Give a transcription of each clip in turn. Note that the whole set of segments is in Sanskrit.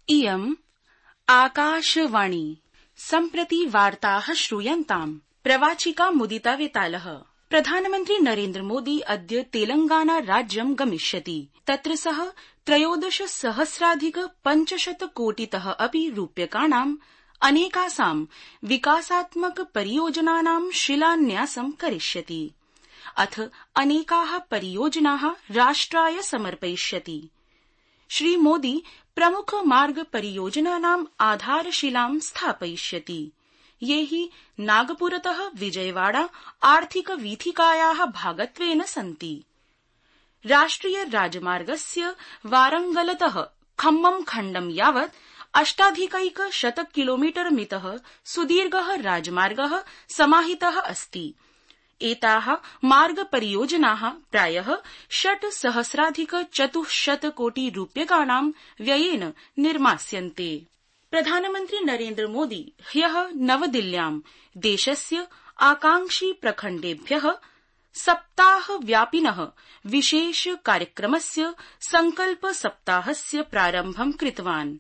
इयम् आकाशवाणी। सम्प्रति वार्ताः श्रूयन्ताम्। प्रवाचिका मुदिता वेतालः। प्रधानमन्त्री नरेन्द्र मोदी अद्य तेलंगाना राज्यं गमिष्यति। तत्र सः 13,500 कोटितः अपि रूप्यकाणाम् अनेकासां विकासात्मक परियोजनानां शिलान्यासं करिष्यति। अथ अनेकाः परियोजनाः राष्ट्राय समर्पयिष्यति। श्री मोदी प्रमुख मार्ग परियोजनानाम् आधारशिलां स्थापयिष्यति। ये हि नागपुरतः विजयवाड़ा आर्थिक वीथिकायाः भागत्वेन सन्ति। राष्ट्रिय राजमार्गस्य वारंगलतः खम्मम खण्डं यावत् 8,100 किलोमीटर मितः सुदीर्घः राजमार्गः समाहितः अस्ति। एताः मार्ग परियोजनाः प्रायः 6,400 कोटि रूप्यकाणां व्ययेन निर्मास्यन्ते। प्रधानमन्त्री नरेन्द्र मोदी ह्यः नवदिल्ल्यां देशस्य आकांक्षी प्रखण्डेभ्यः सप्ताहव्यापिनः विशेष कार्यक्रमस्य संकल्प सप्ताहस्य प्रारम्भं कृतवान्।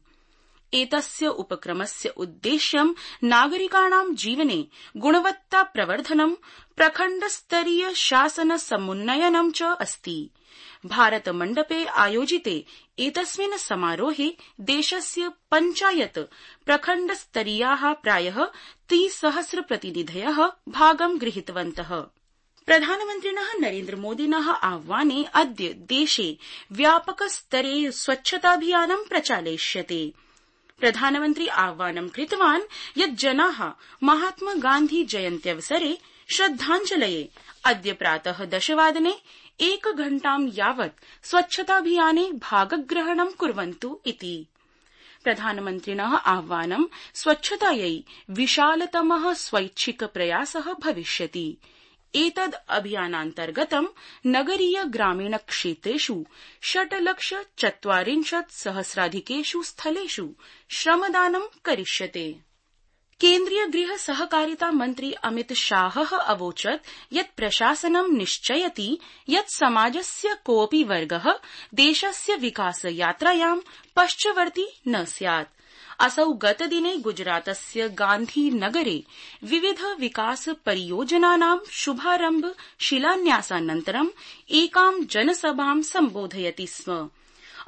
एतस्य उपक्रमस्य उद्देश्यं नागरिकाणां जीवने गुणवत्ता प्रवर्धनं, प्रखण्डस्तरीय शासन समुन्नयनं च अस्ति। भारतमण्डपे आयोजिते एतस्मिन् समारोहे देशस्य पञ्चायत प्रखण्डस्तरीयाः प्रायः 30,000 प्रतिनिधयः भागं गृहीतवन्तः। प्रधानमन्त्रिणः नरेन्द्र मोदिनः आह्वाने अद्य देशे व्यापकस्तरे स्वच्छताभियानं प्रचालयिष्यते। प्रधानमन्त्री आह्वानं कृतवान् यत् जनाः महात्मा गान्धी जयन्त्यवसरे श्रद्धाञ्जलये अद्य प्रातः 10 वादने 1 घण्टां यावत् स्वच्छताभियाने भागग्रहणं कुर्वन्तु इति। प्रधानमन्त्रिणः आह्वानं स्वच्छतायै विशालतमः स्वैच्छिक प्रयासः भविष्यति। एतद् अभियानान्तर्गतं नगरीय ग्रामीण क्षेत्रेषु 6,40,000 स्थलेषु श्रमदानं करिष्यते। केन्द्रीय गृह सहकारिता मन्त्री अमित शाहः अवोचत् यत् प्रशासनं निश्चयति यत् समाजस्य कोऽपि वर्गः देशस्य विकासयात्रायां पश्चवर्ती न स्यात्। असौ गतदिने गुजरातस्य गान्धीनगरे विविध विकास परियोजनानां शुभारम्भ शिलान्यासानन्तरं एकां जनसभां सम्बोधयति स्म।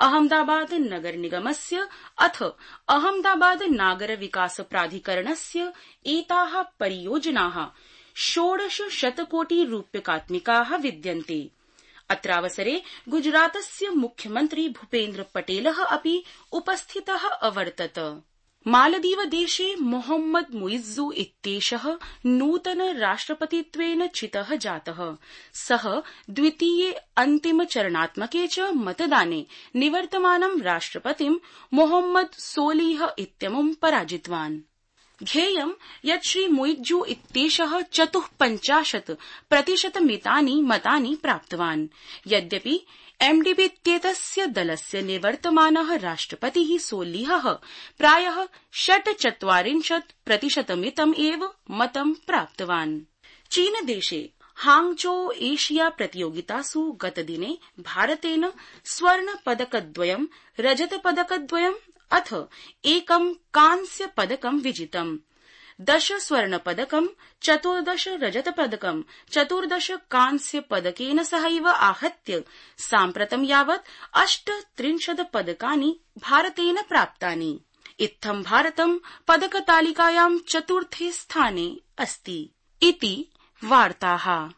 अहमदाबाद नगर निगमस्य अथ अहमदाबाद नागर विकास प्राधिकरणस्य एताः परियोजनाः 1,600 कोटि रूप्यकात्मिकाः विद्यन्ते। अत्रावसरे गुजरातस्य मुख्यमन्त्री भूपेन्द्र पटेलः अपि उपस्थितः अवर्तत। मालदीवदेशे मोहम्मद मुइज्जू इत्येषः नूतन राष्ट्रपतित्वेन चितः जातः। सः द्वितीये अन्तिमचरणात्मके च मतदाने निवर्तमानं राष्ट्रपतिं मोहम्मद सोलिह इत्यमुं पराजितवान्। ध्येयं यत् श्री मुइज्जू इत्येषः 54% मतानि प्राप्तवान्। यद्यपि एमडीबी इत्येतस्य दलस्य निवर्तमानः राष्ट्रपतिः सोलिहः प्रायः 46% एव मतं प्राप्तवान्। चीनदेशे हांगझो एशिया प्रतियोगितासु गतदिने भारतेन स्वर्णपदकद्वयं, रजतपदकद्वयम् अथ 1 कांस्यपदकं विजितम्। 10 स्वर्णपदकं, 14 रजतपदकं, 14 कांस्यपदकेन सहैव आहत्य साम्प्रतं यावत् 38 पदकानि भारतेन प्राप्तानि। इत्थं भारतं पदकतालिकायां 4थे स्थाने अस्ति। इति वार्ताः।